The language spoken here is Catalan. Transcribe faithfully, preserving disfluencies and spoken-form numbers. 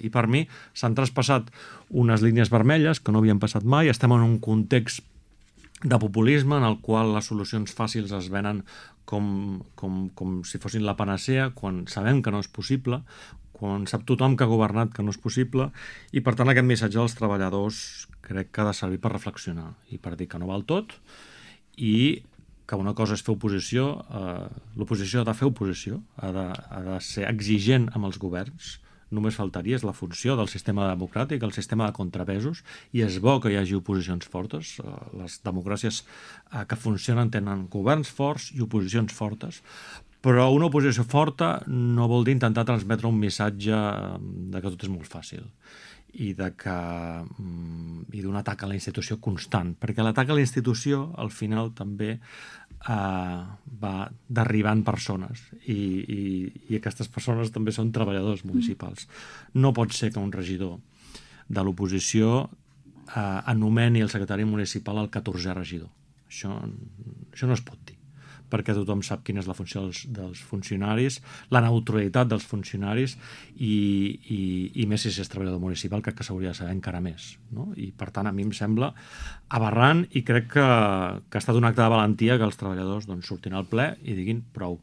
I per mi s'han traspassat unes línies vermelles que no havien passat mai. Estem en un context de populisme en el qual les solucions fàcils es venen com, com, com si fossin la panacea, quan sabem que no és possible, quan sap tothom que ha governat que no és possible, i per tant aquest missatge als treballadors crec que ha de servir per reflexionar i per dir que no val tot, i que una cosa és fer oposició, eh, l'oposició ha de fer oposició, ha de, ha de ser exigent amb els governs, només faltaria, és la funció del sistema democràtic, el sistema de contrapesos, i és bo que hi hagi oposicions fortes. Les democràcies que funcionen tenen governs forts i oposicions fortes, però una oposició forta no vol dir intentar transmetre un missatge de que tot és molt fàcil i de que i d'un atac a la institució constant, perquè l'atac a la institució al final també Uh, va derribant persones i, i, i aquestes persones també són treballadors municipals. No pot ser que un regidor de l'oposició uh, anomeni el secretari municipal el catorzè regidor. Això, això no es pot dir, perquè tothom sap quina és la funció dels, dels funcionaris, la neutralitat dels funcionaris i, i, i més si és treballador municipal, crec que s'hauria de saber encara més, no? I per tant a mi em sembla aberrant i crec que, que ha estat un acte de valentia que els treballadors doncs, surtin al ple i diguin prou.